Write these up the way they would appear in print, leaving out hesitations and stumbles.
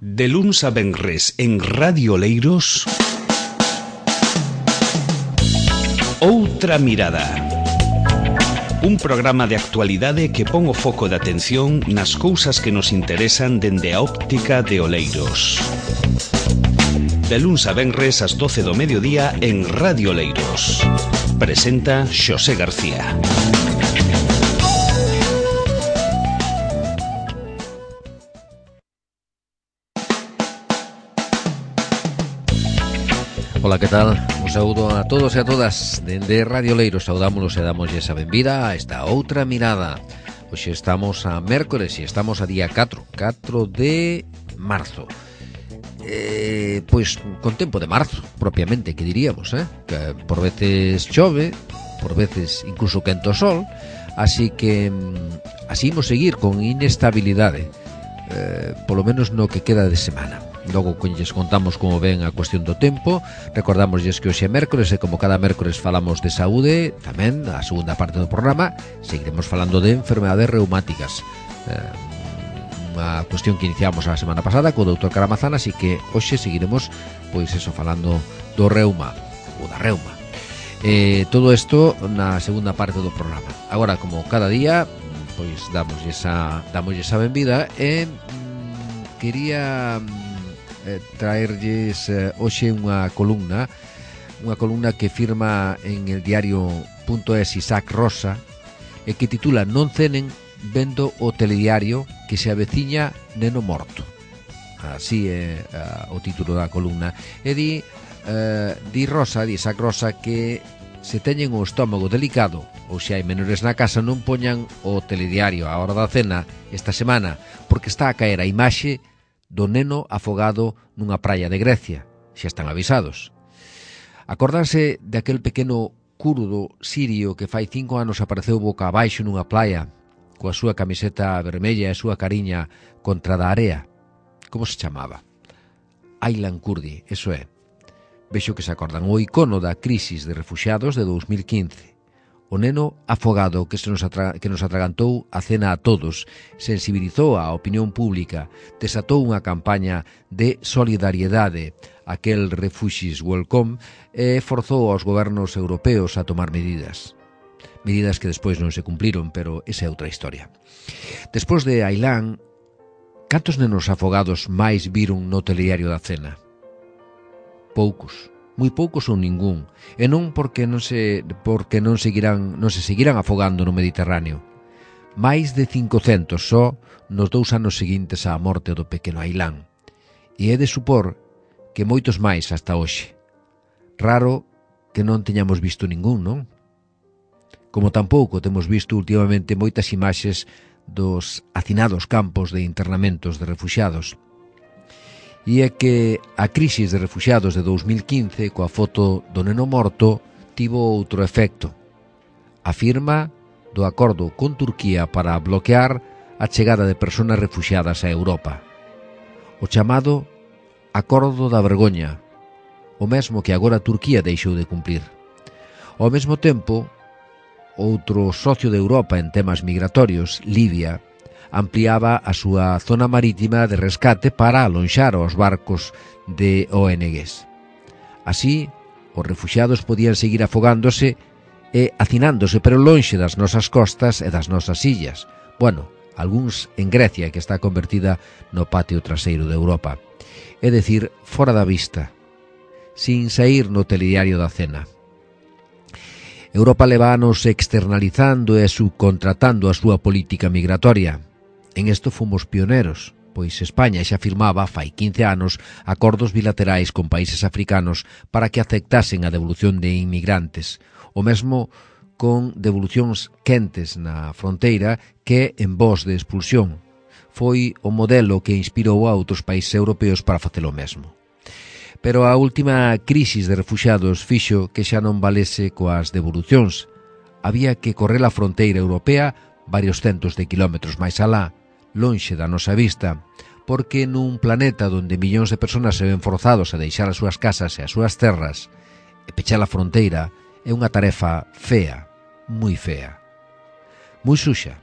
De luns a venres en Radio Oleiros, Outra Mirada. Un programa de actualidade que pon o foco de atención nas cousas que nos interesan dende a óptica de Oleiros. De luns a venres ás 12 do mediodía en Radio Oleiros. Presenta Xosé García. Ola, que tal? Un saúdo a todos e a todas. Dende Radio Oleiros saudámonos e damoslle esa benvida a esta outra mirada. Hoxe estamos a mércores e estamos a día 4 de marzo. Pois con tempo de marzo, propiamente, que diríamos, que por veces chove, por veces incluso quenta o sol, así que así imos seguir con inestabilidade, polo menos no que queda de semana. Logo lles contamos como ven a cuestión do tempo. Recordamosles que hoxe é mércores e como cada mércores falamos de saúde, tamén a segunda parte do programa seguiremos falando de enfermedades reumáticas, unha cuestión que iniciamos a semana pasada co doutor Caramazán, así que hoxe seguiremos pois eso, falando do reuma ou da reuma. Todo isto na segunda parte do programa. Agora, como cada día, pois damoslle esa benvida e quería traerlles hoxe unha columna que firma en el diario.es Isaac Rosa e que titula "Non cenen vendo o telediario que se aveciña neno morto". Así é o título da columna. E di Isaac Rosa, que se teñen o estómago delicado ou se hai menores na casa, non poñan o telediario á hora da cena esta semana, porque está a caer a imaxe do neno afogado nunha praia de Grecia. Xa están avisados. Acórdanse de aquel pequeno kurdo sirio que fai 5 anos apareceu boca abaixo nunha playa coa súa camiseta vermella e a súa cariña contra da area? Como se chamaba? Aylan Kurdi, eso é. Vexo que se acordan. O icono da crisis de refuxiados de 2015. O neno afogado que nos atragantou a cena a todos, sensibilizou a opinión pública, desatou unha campaña de solidariedade, aquel Refugees Welcome, e forzou aos gobernos europeos a tomar medidas que despois non se cumpliron, pero esa é outra historia. Despois de Aylan, cantos nenos afogados máis viron no telediario da cena? Poucos. Moi poucos ou ningún, e non porque non se seguirán afogando no Mediterráneo. Máis de 500 só nos 2 anos seguintes á morte do pequeno Aylan, e é de supor que moitos máis hasta hoxe. Raro que non teñamos visto ningún, non? Como tampouco temos visto últimamente moitas imaxes dos hacinados campos de internamentos de refuxiados. E é que a crisis de refuxiados de 2015, coa foto do neno morto, tivo outro efecto. A firma do acordo con Turquía para bloquear a chegada de persoas refuxiadas a Europa. O chamado Acordo da Vergoña, o mesmo que agora Turquía deixou de cumplir. Ao mesmo tempo, outro socio de Europa en temas migratorios, Libia, ampliaba a súa zona marítima de rescate para alonxar os barcos de ONGs. Así, os refuxiados podían seguir afogándose e hacinándose, pero lonxe das nosas costas e das nosas illas. Bueno, algúns en Grecia, que está convertida no patio traseiro de Europa. É dicir, fora da vista, sin sair no telediario da cena. Europa levános externalizando e subcontratando a súa política migratoria. En isto fomos pioneros, pois España xa firmaba fai 15 anos acordos bilaterais con países africanos para que aceptasen a devolución de inmigrantes, o mesmo con devolucións quentes na fronteira que en vos de expulsión. Foi o modelo que inspirou a outros países europeos para facelo mesmo. Pero a última crisis de refuxiados fixo que xa non valese coas devolucións. Había que correr a fronteira europea varios centos de kilómetros máis alá, lonxe da nosa vista, porque nun planeta onde millóns de persoas se ven forzados a deixar as súas casas e as súas terras, e pechar a fronteira é unha tarefa fea, moi fea, moi suxa.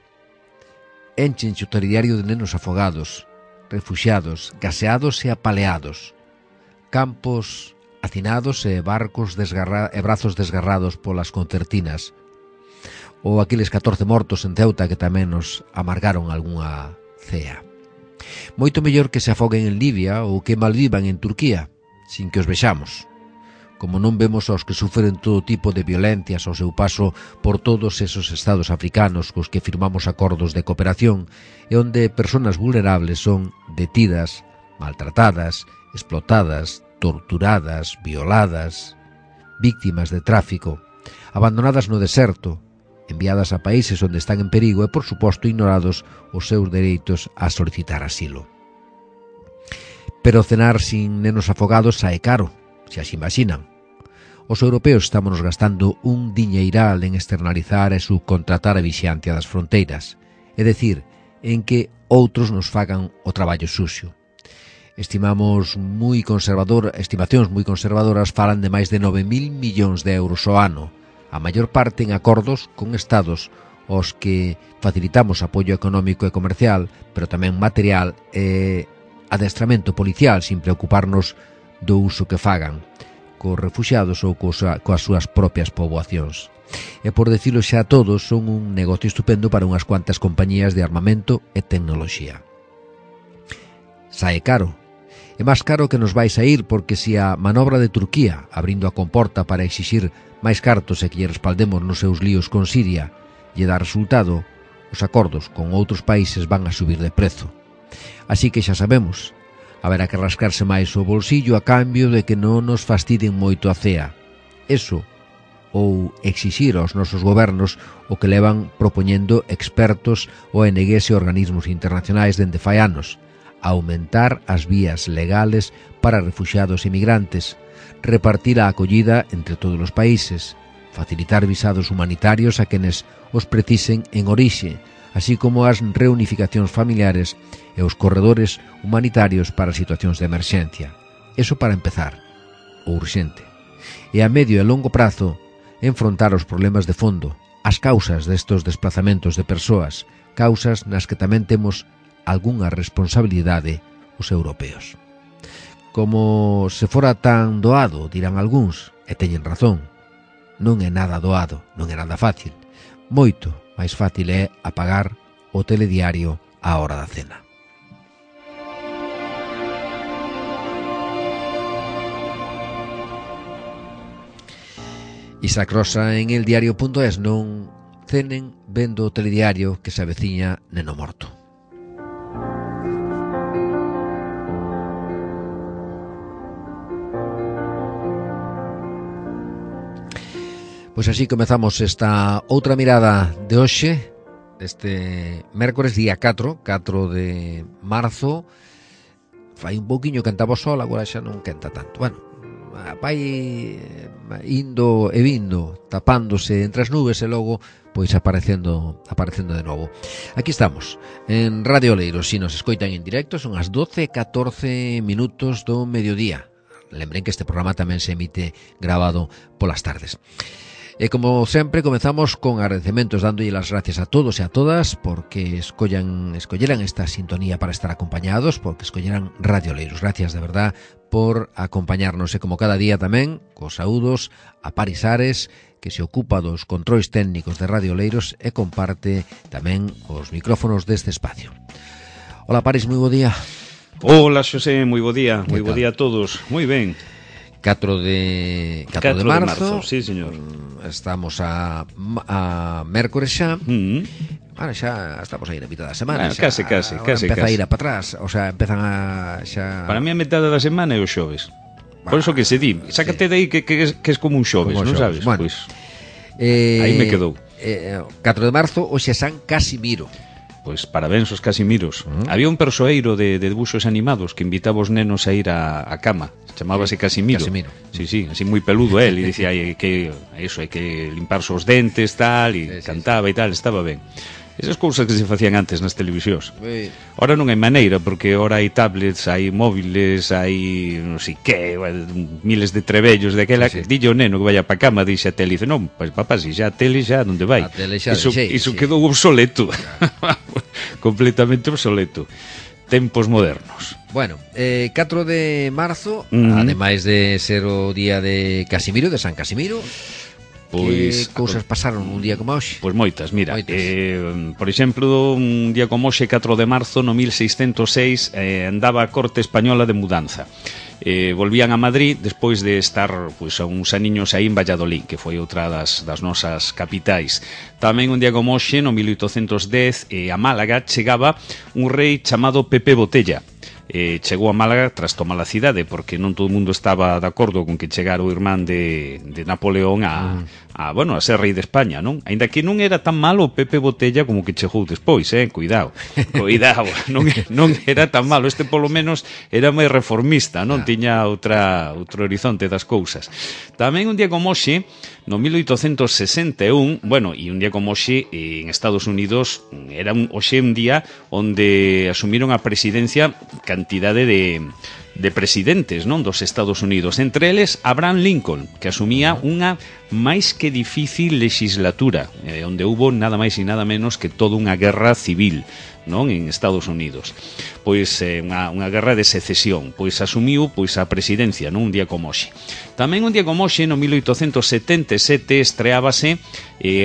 Enchenche o telediario de nenos afogados, refuxiados, gaseados e apaleados, campos hacinados e barcos e brazos desgarrados polas concertinas, ou aqueles 14 mortos en Ceuta que tamén nos amargaron algunha cea. Moito mellor que se afoguen en Libia ou que malvivan en Turquía, sin que os vexamos, como non vemos aos que sufren todo tipo de violencias ao seu paso por todos esos estados africanos cos que firmamos acordos de cooperación e onde persoas vulnerables son detidas, maltratadas, explotadas, torturadas, violadas, víctimas de tráfico, abandonadas no deserto, enviadas a países onde están en perigo e, por suposto, ignorados os seus dereitos a solicitar asilo. Pero cenar sin nenos afogados sae caro, se as imaginan. Os europeos estámonos gastando un diñeiral en externalizar e subcontratar a vixiancia das fronteiras, é dicir, en que outros nos fagan o traballo suxo. Estimacións moi conservadoras falan de máis de 9.000 millóns de euros ao ano, a maior parte en acordos con estados aos que facilitamos apoio económico e comercial, pero tamén material e adestramento policial sin preocuparnos do uso que fagan cos refuxiados ou coas súas propias poboacións. E por decirlo xa a todos, son un negocio estupendo para unhas cuantas compañías de armamento e tecnoloxía. Sae caro. É máis caro que nos vai sair porque se a manobra de Turquía, abrindo a comporta para exixir máis cartos e que lle respaldemos nos seus líos con Siria, lle dá resultado, os acordos con outros países van a subir de prezo. Así que xa sabemos, haberá que rascarse máis o bolsillo a cambio de que non nos fastiden moito a cea. Eso, ou exixir aos nosos gobernos o que levan propoñendo expertos, ONGs e organismos internacionais dende fai anos, aumentar as vías legales para refuxiados e migrantes, repartir a acollida entre todos os países, facilitar visados humanitarios a quenes os precisen en orixe, así como as reunificacións familiares e os corredores humanitarios para situacións de emerxencia. Eso para empezar, o urxente. E a medio e longo prazo, enfrontar os problemas de fondo, as causas destos desplazamentos de persoas, causas nas que tamén temos algunha responsabilidade os europeos. Como se fora tan doado, dirán algúns, e teñen razón. Non é nada doado, non é nada fácil. Moito máis fácil é apagar o telediario á hora da cena. Isaac Rosa en eldiario.es: non cenen vendo o telediario que se aveciña neno morto. Pois así comezamos esta outra mirada de hoxe, deste mércores día 4 de marzo. Fai un pouquiño cantaba o sol, agora xa non quenta tanto. Bueno, vai indo e vindo, tapándose entre as nubes e logo pois aparecendo de novo. Aquí estamos, en Radio Oleiros. Si nos escoitan en directo, son as 12:14 minutos do mediodía. Lembren que este programa tamén se emite grabado polas tardes. E como sempre comezamos con agradecementos, dándolle as gracias a todos e a todas porque escolleran esta sintonía para estar acompañados, porque escolleran Radio Oleiros. Gracias de verdad por acompañarnos, e como cada día tamén cos saúdos a Paris Ares, que se ocupa dos controis técnicos de Radio Oleiros e comparte tamén os micrófonos deste espacio. Hola Paris, moi bo día. Hola Xosé, moi bo día. Moi bo día a todos. Moi ben. 4 de marzo, sí, señor. Estamos a mércores xa. Bueno, xa estamos aí na mitad da semana. Case. Empeza a ir a para atrás, o sea, empezan a xa. Para mí a metade da semana é o xoves. Por eso que se di, sácate de aí que é como un xoves, non sabes? Bueno, pois aí me quedou. 4 de marzo, hoxe é San Casimiro. Pois parabéns aos Casimiros. Había un persoeiro de debuxos animados que invitaba os nenos a ir a cama. Chamábase Casimiro. Sí, así moi peludo él, e dicía que eso, hai que limparse os dentes, tal, e cantaba e tal, estaba ben. Esas cousas que se facían antes nas televisións. Ora non hai maneira, porque ora hai tablets, hai móviles, hai non sei que, miles de trebellos daquela. Dille o neno que vaya pa cama, dixe a tele, e dice, non, pois papá, si xa a tele xa, onde vai? Iso quedou obsoleto. Completamente obsoleto. tempos modernos. Bueno, 4 de marzo, ademais de ser o día de Casimiro, de San Casimiro, pois, que cousas pasaron un día como hoxe? Pois moitas, mira, por exemplo, un día como hoxe, 4 de marzo, no 1606, andaba a corte española de mudanza. Volvían a Madrid despois de estar pois, a uns aniños aí en Valladolid, que foi outra das nosas capitais. Tamén un día como hoxe, no 1810, a Málaga chegaba un rei chamado Pepe Botella. Chegou a Málaga tras tomar a cidade, porque non todo o mundo estaba de acordo con que chegara o irmán de Napoleón a ser rei de España, non? Ainda que non era tan malo Pepe Botella como que chegou despois, cuidado, non era tan malo, este polo menos era máis reformista, non? Tiña outro horizonte das cousas. Tamén un día como hoxe, no 1861, bueno, e un día como hoxe en Estados Unidos era hoxe un día onde asumiron a presidencia cantidade de presidentes, non, dos Estados Unidos, entre eles Abraham Lincoln, que asumía unha máis que difícil legislatura, onde hubo nada máis e nada menos que toda unha guerra civil, non, en Estados Unidos. Pois unha guerra de secesión, pois asumiu pois a presidencia, non, un día como hoxe. Tamén un día como hoxe, no 1877, estreábase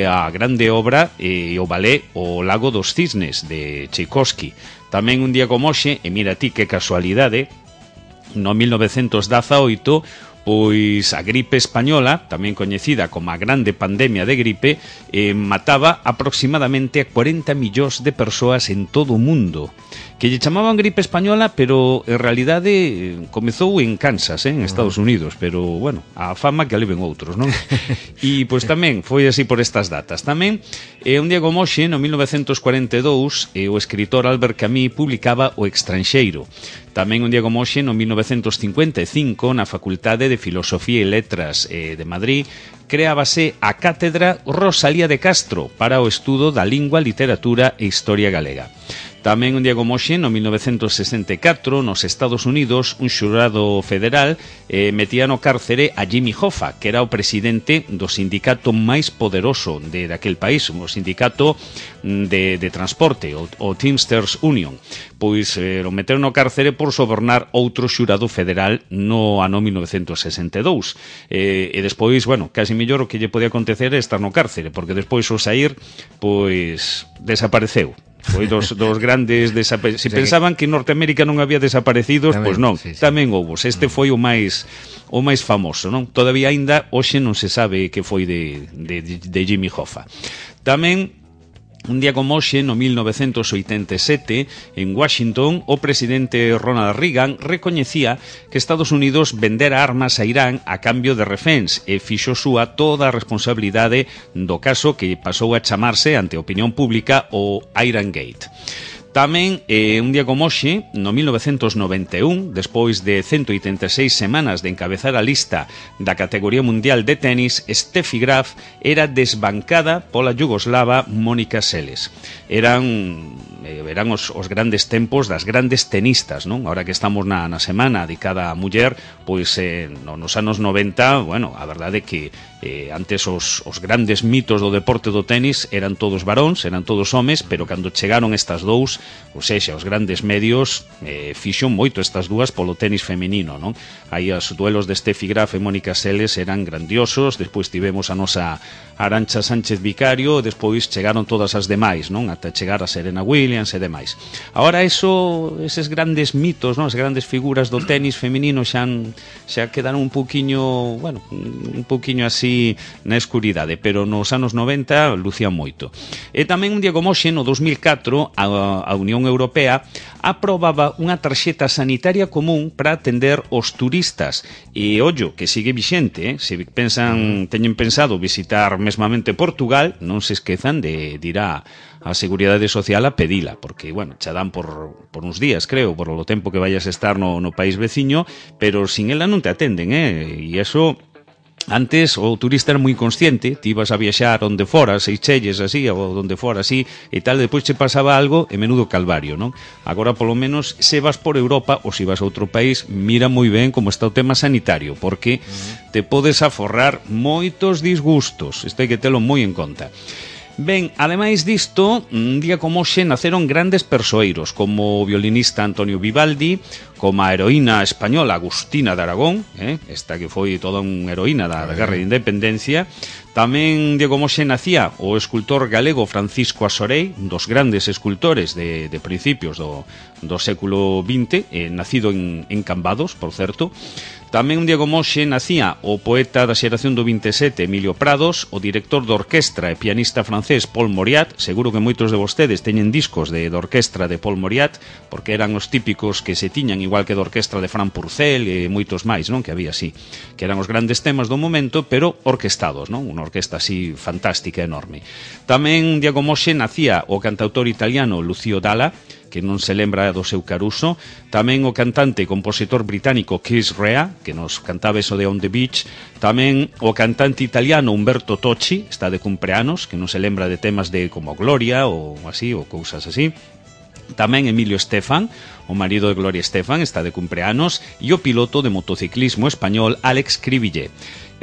a grande obra o ballet O Lago dos Cisnes, de Tchaikovsky. Tamén un día como hoxe, e mira ti que casualidade, no 1918, pois a gripe española, tamén coñecida como a grande pandemia de gripe, mataba aproximadamente a 40 millóns de persoas en todo o mundo, que lle chamaban gripe española, pero en realidade comezou en Kansas, en Estados Unidos, pero, bueno, a fama que aliven outros, non? E, pois, tamén foi así por estas datas. Tamén, un día como hoxe, no 1942, o escritor Albert Camus publicaba O Extranxeiro. Tamén un día como hoxe, no 1955, na Facultade de Filosofía e Letras de Madrid, creábase a Cátedra Rosalía de Castro para o estudo da lingua, literatura e historia galega. Tamén un día como hoxe, no 1964, nos Estados Unidos, un xurado federal metía no cárcere a Jimmy Hoffa, que era o presidente do sindicato máis poderoso de aquel país, o sindicato de transporte, o Teamsters Union. Pois o meteron no cárcere por sobornar outro xurado federal no ano 1962. E despois, bueno, casi mellor o que lle podía acontecer é estar no cárcere, porque despois o sair, pois, desapareceu. Foi dos grandes desaparecidos. Si pensaban que en Norteamérica non había desaparecidos, pois non, tamén houve. Este foi o máis famoso, non? Todavía aínda hoxe non se sabe que foi de Jimmy Hoffa. Tamén un día como hoxe, no 1987, en Washington, o presidente Ronald Reagan recoñecía que Estados Unidos vendera armas a Irán a cambio de reféns e fixo súa toda a responsabilidade do caso que pasou a chamarse ante a opinión pública o Iran Gate. Tamén, un día como hoxe, no 1991, despois de 186 semanas de encabezar a lista da categoría mundial de tenis, Steffi Graf era desbancada pola yugoslava Mónica Seles. Eran os grandes tempos das grandes tenistas, non? Ahora que estamos na semana dedicada á muller, pois nos anos 90, bueno, a verdade é que antes os grandes mitos do deporte do tenis eran todos varóns, eran todos homes, pero cando chegaron estas dous, ou seja, os grandes medios fixon moito estas dúas polo tenis femenino, non? Aí os duelos de Steffi Graf e Mónica Seles eran grandiosos, despois tivemos a nosa Arantxa Sánchez Vicario, e despois chegaron todas as demais, non? Ata chegar a Serena Williams e demais. Ahora eses grandes mitos, non? As grandes figuras do tenis femenino xa quedaron un pouquiño, bueno, un pouquiño así na escuridade, pero nos anos 90 lucían moito. E tamén un día como hoxe, no 2004, a Unión Europea aprobaba unha tarxeta sanitaria común para atender os turistas. E, ollo, que sigue vixente, se teñen pensado visitar mesmamente Portugal, non se esquezan de ir a Seguridade Social a pedila, porque, bueno, xa dan por uns días, creo, por o tempo que vayas a estar no país veciño, pero sin ela non te atenden, e eso... Antes o turista era moi consciente, ti ibas a viaxar onde fora, Seychelles así, ou onde fora así, e tal, depois che pasaba algo e menudo calvario, non? Agora, polo menos, se vas por Europa ou se vas a outro país, mira moi ben como está o tema sanitario, porque te podes aforrar moitos disgustos, isto hai que telo moi en conta. Ben, ademais disto, un día como hoxe naceron grandes persoeiros, como o violinista Antonio Vivaldi, como a heroína española Agustina de Aragón, esta que foi toda unha heroína da Guerra de Independencia. Tamén Diego Moxe nacía o escultor galego Francisco Asorei, un dos grandes escultores de principios do século XX, nacido en Cambados, por certo. Tamén un Diego Moxe nacía o poeta da xeración do 27 Emilio Prados, o director de orquestra e pianista francés Paul Mauriat. Seguro que moitos de vostedes teñen discos de orquestra de Paul Mauriat, porque eran os típicos que se tiñan, igual que de orquestra de Fran Purcell e moitos máis, non? Que había así, que eran os grandes temas do momento, pero orquestados, non? Unha orquesta así fantástica, enorme. Tamén Diego Moxe nacía o cantautor italiano Lucio Dalla, que non se lembra do seu Caruso. Tamén o cantante e compositor británico Keith Rea, que nos cantaba eso de On the Beach. Tamén o cantante italiano Umberto Tocci, está de cumpleanos, que non se lembra de temas de como Gloria ou así, ou cousas así. Tamén Emilio Estefan, o marido de Gloria Estefan, está de cumpleanos, e o piloto de motociclismo español Alex Cribillé.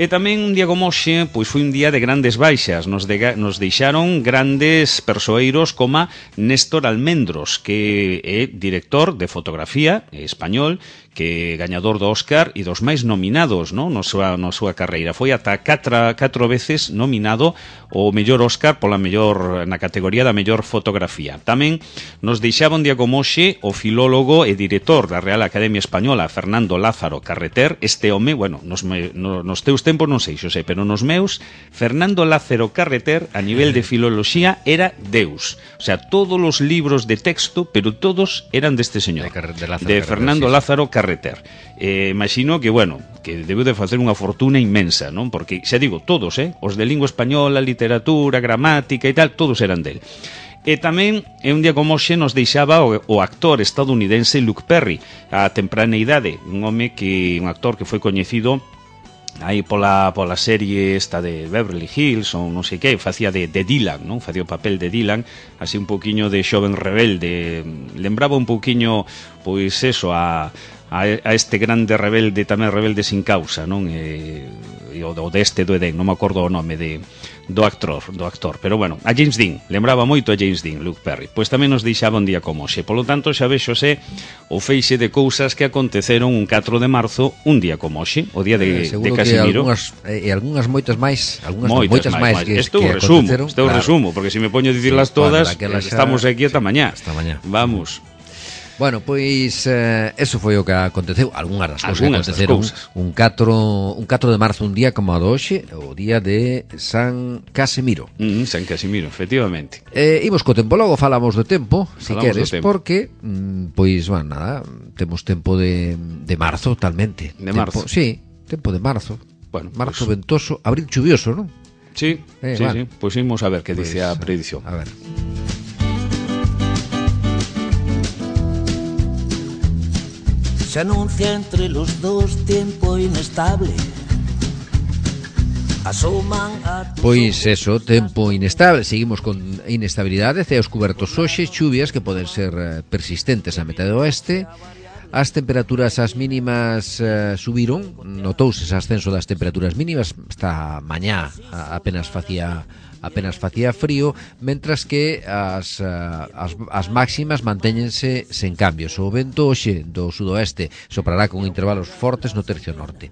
E tamén un día como hoxe, pois foi un día de grandes baixas. Nos deixaron grandes persoeiros como Néstor Almendros, que é director de fotografía español, que é gañador do Óscar e dos máis nominados, non? Na súa carreira. Foi ata 4 veces nominado o mellor Óscar na categoría da mellor fotografía. Tamén nos deixaba un día como hoxe o filólogo e director da Real Academia Española Fernando Lázaro Carreter. Este home, bueno, nos teus tempos non sei, Xosé, pero nos meus, Fernando Lázaro Carreter, a nivel de filoloxía, era Deus. O sea, todos os libros de texto, pero todos eran deste señor, de Fernando Lázaro Carreter. Imagino que, bueno, que debeu de facer unha fortuna inmensa, non? Porque, xa digo, todos, os de lingua española, literatura, gramática e tal, todos eran del. E tamén, un día como hoxe, nos deixaba o actor estadounidense Luke Perry, a temprana idade, un actor que foi coñecido aí pola serie esta de Beverly Hills ou non sei que, facía de Dylan, non? Facía o papel de Dylan, así un pouquiño de xoven rebelde, lembraba un pouquiño, pois eso, a este grande rebelde, tamén rebelde sin causa, non? O deste do Edén, non me acordo o nome do actor, pero bueno, a James Dean, lembraba moito a James Dean, Luke Perry. Pois tamén nos deixaba un día como hoxe. Polo tanto, xa vexose o feixe de cousas que aconteceron un 4 de marzo, un día como hoxe, o día de Casimiro. E algunhas moitas máis, moitas máis que aconteceron. Este o resumo, porque se me poño a dicirlas todas, estamos aquí ata mañá. Vamos. Bueno, pois eso foi o que aconteceu, algunhas das cousas que aconteceron un 4 de marzo, un día como a hoxe, o día de San Casimiro. San Casimiro, efectivamente. Imos co tempo, logo falamos do tempo, se queres, porque pois, bueno, nada, temos tempo de marzo, talmente. De marzo? Sí, tempo de marzo. Bueno, marzo ventoso, abril chuvioso, non? Sí, sí. Pois imos a ver que dice a predición. A ver. Se anuncia entre los dos tiempo inestable. Pois eso, tempo inestable. Seguimos con inestabilidade, ceos cubertos hoxe, chuvias que poden ser persistentes a metade oeste. As temperaturas, as mínimas subiron, notouse ese ascenso das temperaturas mínimas. Esta mañá apenas facía frío, mentras que as máximas mantéñense sen cambios. O vento hoxe do sudoeste soprará con intervalos fortes no tercio norte.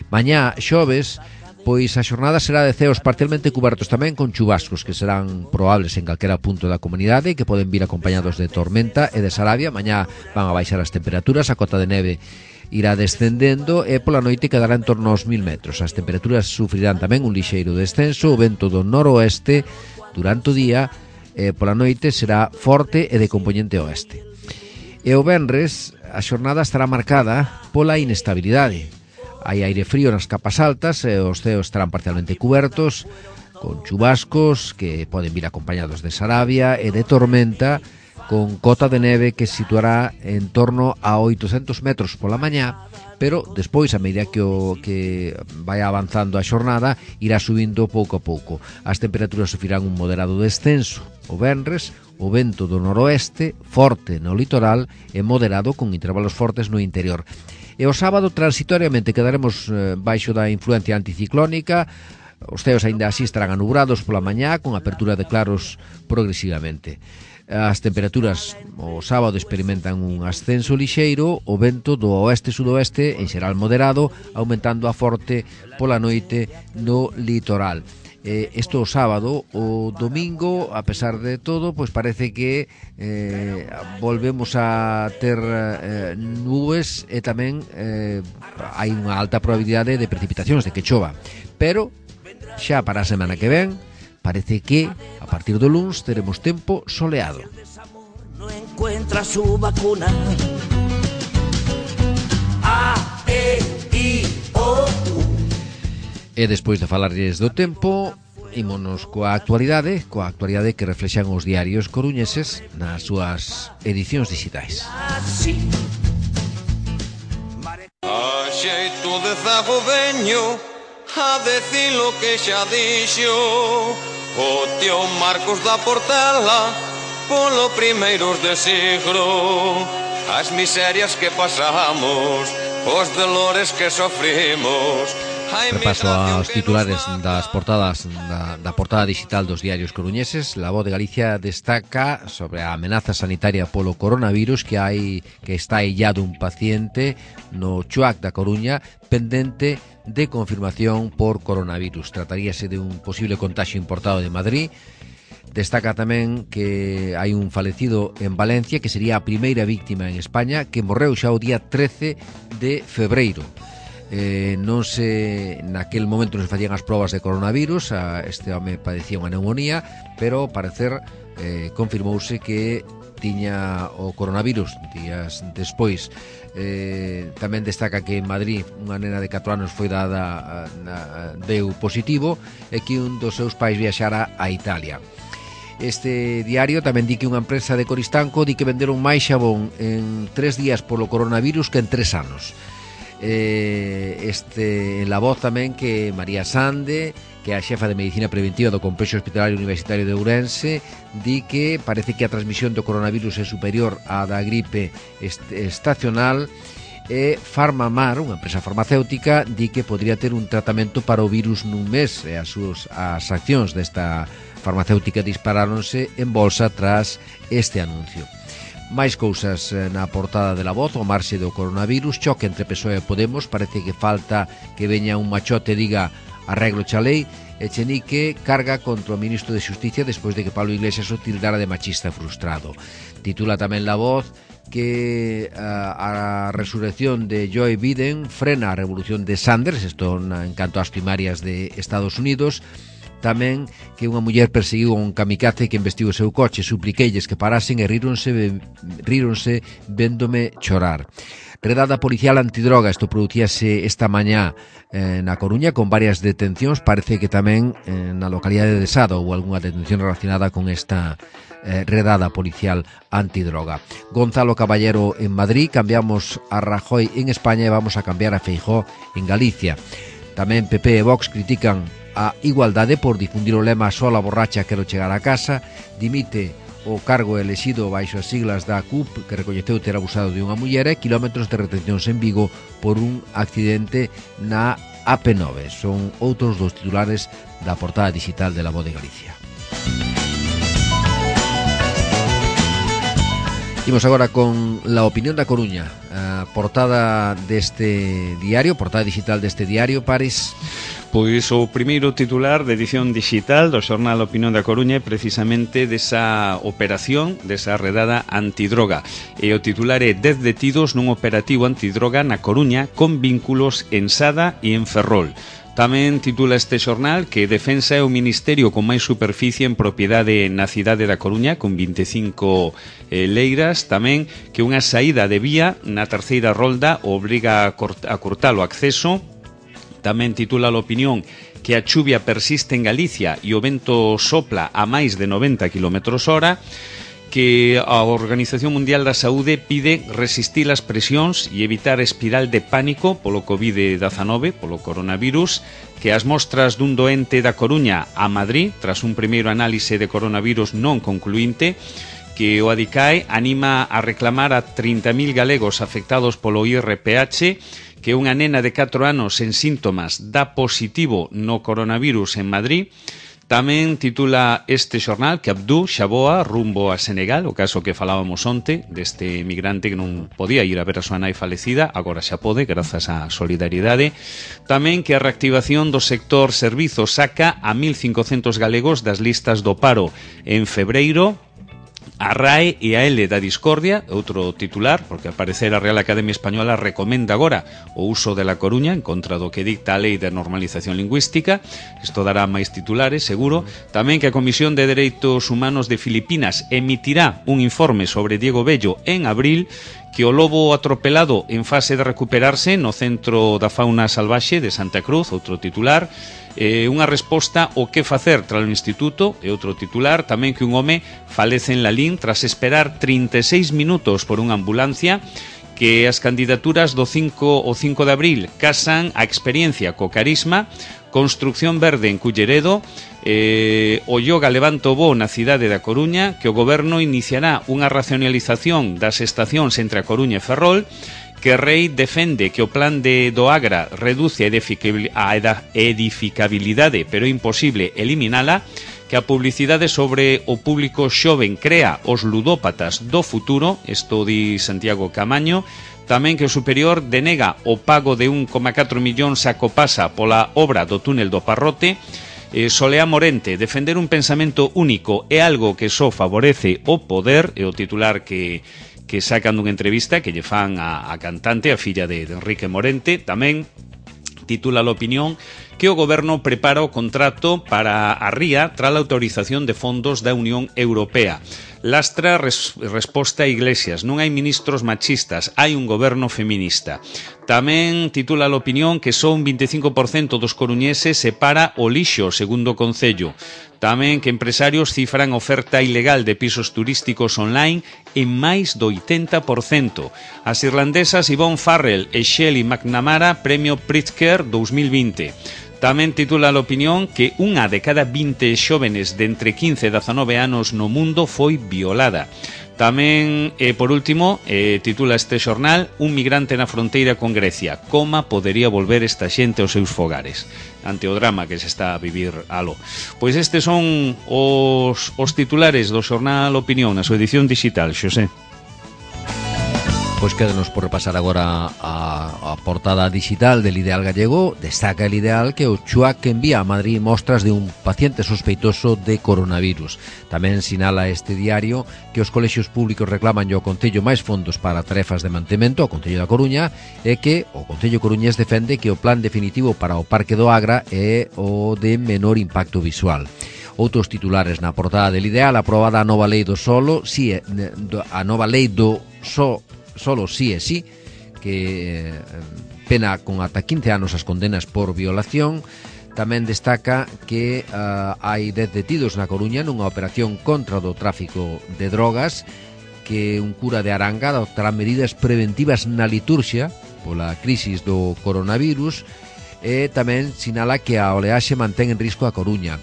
Mañá xoves, pois a xornada será de ceos parcialmente cubertos tamén con chubascos que serán probables en calquera punto da comunidade e que poden vir acompañados de tormenta e de sarabia. Mañá van a baixar as temperaturas, a cota de neve irá descendendo e pola noite quedará en torno aos 1000 metros. As temperaturas sufrirán tamén un lixeiro descenso, o vento do noroeste durante o día e pola noite será forte e de compoñente oeste. E o venres a xornada estará marcada pola inestabilidade. Hai aire frío nas capas altas e os ceos estarán parcialmente cubertos con chubascos que poden vir acompañados de sarabia e de tormenta, con cota de neve que se situará en torno a 800 metros pola mañá, pero despois, a medida que vai avanzando a xornada, irá subindo pouco a pouco. As temperaturas sufrirán un moderado descenso o venres, o vento do noroeste, forte no litoral e moderado con intervalos fortes no interior. E o sábado, transitoriamente, quedaremos baixo da influencia anticiclónica, Os ceos aínda así estarán anubrados pola mañá, con apertura de claros progresivamente. As temperaturas o sábado experimentan un ascenso lixeiro, o vento do oeste-sudoeste en xeral moderado, aumentando a forte pola noite no litoral. Isto o sábado. O domingo, a pesar de todo, pois parece que volvemos a ter nubes e tamén hai unha alta probabilidade de precipitacións, de que chova, pero xa para a semana que ven parece que a partir do luns teremos tempo soleado. No encuentra su vacuna. A, E, I, O, U. E despois de falarles do tempo, ímonos coa actualidade que reflexan os diarios coruñeses nas súas edicións digitais. A xeito de zago veño a decir lo que xa dixo o tío Marcos da Portela polo primeiros de siglo. As miserias que pasamos, os dolores que sofrimos. Repaso aos titulares das portadas da portada digital dos diarios coruñeses. La Voz de Galicia destaca sobre a amenaza sanitaria polo coronavirus, que está illado un paciente no Chuac da Coruña pendente de confirmación por coronavirus. Trataríase de un posible contagio importado de Madrid. Destaca tamén que hai un falecido en Valencia, que sería a primeira víctima en España, que morreu xa o día 13 de febreiro. Naquel momento non se facían as probas de coronavirus, este home padecía unha neumonía, pero ao parecer confirmouse que tiña o coronavirus días despois. Tamén destaca que en Madrid unha nena de 4 anos foi deu positivo e que un dos seus pais viaxara a Italia. Este diario tamén di que unha empresa de Coristanco di que venderon máis xabón en 3 días polo coronavirus que en 3 anos. En La Voz tamén que María Sande, que é a xefa de Medicina Preventiva do Complexo Hospitalario Universitario de Ourense, di que parece que a transmisión do coronavirus é superior á da gripe estacional, e Farmamar, unha empresa farmacéutica, di que podría ter un tratamento para o virus nun mes, e as accións desta farmacéutica disparáronse en bolsa tras este anuncio. Máis cousas na portada de La Voz. O marxe do coronavirus, choque entre PSOE e Podemos. Parece que falta que veña un machote e diga arreglo xa lei. Echenique carga contra o ministro de Xusticia despois de que Pablo Iglesias o tildara de machista frustrado. Titula tamén La Voz que a resurrección de Joe Biden frena a revolución de Sanders, isto en canto ás primarias de Estados Unidos. Tamén que unha muller perseguiu un kamikaze que investiu o seu coche, supliqueilles que parasen e ríronse véndome chorar. Redada policial antidroga, isto producíase esta mañá na Coruña con varias detencións. Parece que tamén na localidade de Sada houve algunha detención relacionada con esta redada policial antidroga. Gonzalo Caballero en Madrid, cambiamos a Rajoy en España e vamos a cambiar a Feijóo en Galicia. Tamén PP e Vox critican a igualdade por difundir o lema "Sola borracha quero chegar a casa". Dimite o cargo elexido baixo as siglas da CUP, que recoñeceu ter abusado de unha muller, e quilómetros de retencións en Vigo por un accidente na AP9. Son outros dos titulares da portada digital de La Voz de Galicia. Imos agora con La Opinión da Coruña, a portada deste diario, portada digital deste diario, Paris. Pois o primeiro titular de edición digital do xornal Opinión da Coruña é precisamente desa operación, desa redada antidroga. E o titular é 10 detidos nun operativo antidroga na Coruña con vínculos en Sada e en Ferrol. Tamén titula este xornal que Defensa é o ministerio con máis superficie en propiedade na cidade da Coruña, con 25 leiras. Tamén que unha saída de vía na terceira rolda obriga a cortar o acceso. Tamén titula a Opinión que a chuvia persiste en Galicia e o vento sopla a máis de 90 km/h, que a Organización Mundial da Saúde pide resistir as presións e evitar a espiral de pánico polo COVID-19, polo coronavirus, que as mostras dun doente da Coruña a Madrid, tras un primeiro análise de coronavirus non concluinte, que o Adicae anima a reclamar a 30.000 galegos afectados polo IRPH, que unha nena de 4 anos en síntomas dá positivo no coronavirus en Madrid. Tamén titula este xornal que Abdú xa voa rumbo a Senegal, o caso que falábamos onte deste migrante que non podía ir a ver a súa nai falecida, agora xa pode, grazas á solidariedade. Tamén que a reactivación do sector servizos saca a 1.500 galegos das listas do paro en febreiro. A RAE e a L da discordia, outro titular, porque ao parecer a Real Academia Española recomenda agora o uso de La Coruña en contra do que dicta a Lei de Normalización Lingüística. Isto dará máis titulares, seguro. Tamén que a Comisión de Dereitos Humanos de Filipinas emitirá un informe sobre Diego Bello en abril, que o lobo atropelado en fase de recuperarse no Centro da Fauna Salvaxe de Santa Cruz, outro titular. Unha resposta ao que facer tras o instituto, e outro titular. Tamén que un home falece en Lalín tras esperar 36 minutos por unha ambulancia. Que as candidaturas do 5 de abril casan a experiencia co carisma. Construcción verde en Culleredo. O yoga Levanto Bo na cidade da Coruña, que o goberno iniciará unha racionalización das estacións entre a Coruña e Ferrol. Que Rei defende que o plan do Agra reduce a edificabilidade, pero é imposible eliminala. Que a publicidade sobre o público xoven crea os ludópatas do futuro, isto di Santiago Camaño. Tamén que o superior denega o pago de 1,4 millóns a Copasa pola obra do túnel do Parrote. Solea Morente, defender un pensamento único é algo que só favorece o poder, é o titular que sacan dunha entrevista que lle fan a cantante, a filla de Enrique Morente. Tamén titula l'opinión que o goberno prepara o contrato para a ría tras a autorización de fondos da Unión Europea. Lastra resposta a Iglesias, non hai ministros machistas, hai un goberno feminista. Tamén titula l'opinión que só un 25% dos coruñeses separa o lixo, segundo o Concello. Tamén que empresarios cifran oferta ilegal de pisos turísticos online en máis do 80%. As irlandesas Yvonne Farrell e Shelley McNamara, Premio Pritzker 2020. Tamén titula l'opinión que unha de cada 20 xóvenes de entre 15 e 19 anos no mundo foi violada. Tamén, por último, titula este xornal, un migrante na fronteira con Grecia. Coma podería volver esta xente aos seus fogares ante o drama que se está a vivir aló. Pois estes son os titulares do xornal Opinión na súa edición digital, Xosé. Pois quédanos por repasar agora a portada digital del Ideal Gallego. Destaca el Ideal que o CHUAC envía a Madrid mostras de un paciente sospeitoso de coronavirus. Tamén sinala este diario que os colexios públicos reclaman ao Concello máis fondos para tarefas de mantemento ao Concello da Coruña e que o Concello coruñés defende que o plan definitivo para o Parque do Agra é o de menor impacto visual. Outros titulares na portada del Ideal: aprobada a nova lei do solo, a nova lei do solo sí e sí, que pena con ata 15 anos as condenas por violación. Tamén destaca que hai 10 detidos na Coruña nunha operación contra o tráfico de drogas, que un cura de Aranga adoptará medidas preventivas na liturxia pola crisis do coronavirus, e tamén sinala que a oleaxe mantén en risco a Coruña,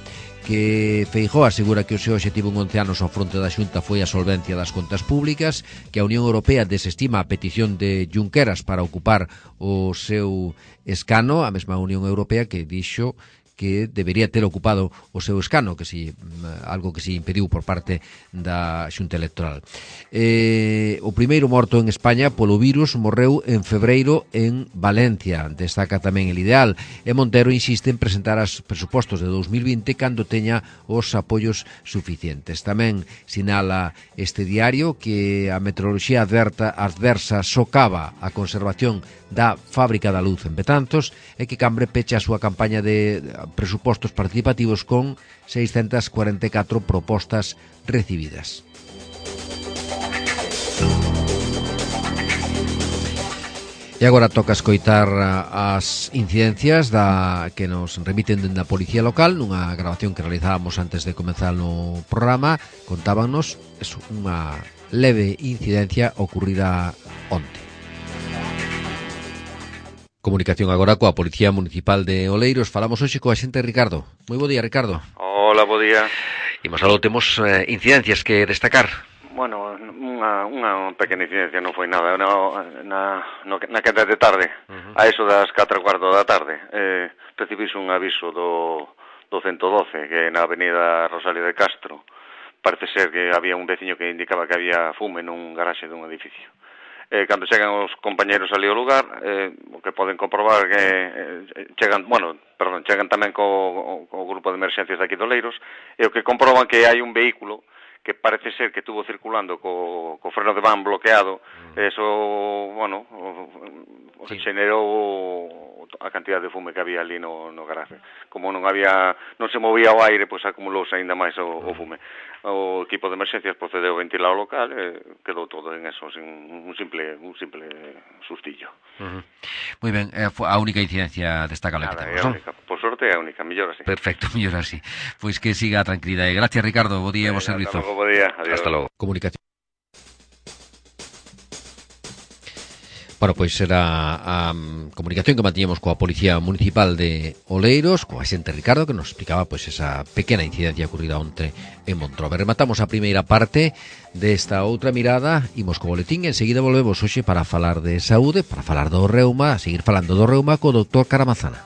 que Feijóo asegura que o seu obxectivo en 11 anos ao fronte da Xunta foi a solvencia das contas públicas, que a Unión Europea desestima a petición de Junqueras para ocupar o seu escano, a mesma Unión Europea que dixo que debería ter ocupado o seu escano, que si algo que se impediu por parte da Xunta Electoral. O primeiro morto en España polo virus morreu en febreiro en Valencia, destaca tamén el Ideal, e Montero insiste en presentar os presupostos de 2020 cando teña os apoios suficientes. Tamén sinala este diario que a meteoroloxía adversa socava a conservación da Fábrica da Luz en Betanzos e que Cambre pecha a súa campaña de presupostos participativos con 644 propostas recibidas. E agora toca escoitar as incidencias que nos remiten dende a Policía Local nunha grabación que realizábamos antes de comenzar no programa. Contábanos unha leve incidencia ocurrida onte. Comunicación agora coa Policía Municipal de Oleiros. Falamos hoxe coa xente Ricardo. Moi bo día, Ricardo. Hola, bo día. Imos algo, temos incidencias que destacar. Bueno, unha pequena incidencia, non foi nada. Na queda de tarde, a eso das 4:15 da tarde, recibise un aviso do 112, que é na avenida Rosalía de Castro. Parece ser que había un veciño que indicaba que había fume nun garaxe dun edificio. Cando chegan os compañeros ali ao lugar, o que poden comprobar que chegan tamén co grupo de emerxencias de aquí de Oleiros, e o que comproban que hai un vehículo que parece ser que estuvo circulando co freno de van bloqueado, eso, bueno, generou a cantidad de fume que había ali no garaje. Como non se movía o aire, pois acumulouse aínda máis o fume. O equipo de emerxencias procedeu a ventilar o local e quedou todo en eso, sin un simple sustillo. Moi ben, a única incidencia destacable que temos, non? Por sorte é a única, mellor así. Perfecto, mellor así. Pois que siga a tranquilidade. Gracias, Ricardo, bo día e bo servizo. Hasta logo, bo día. Adiós. Hasta logo. Comunicación. Bueno, pois era a comunicación que mantiñamos coa Policía Municipal de Oleiros, coa xente Ricardo, que nos explicaba pois esa pequena incidencia ocurrida onte en Montrobe. Rematamos a primeira parte desta outra mirada, imos co boletín, enseguida volvemos hoxe para falar de saúde, para falar do reuma, a seguir falando do reuma co doutor Caramazana.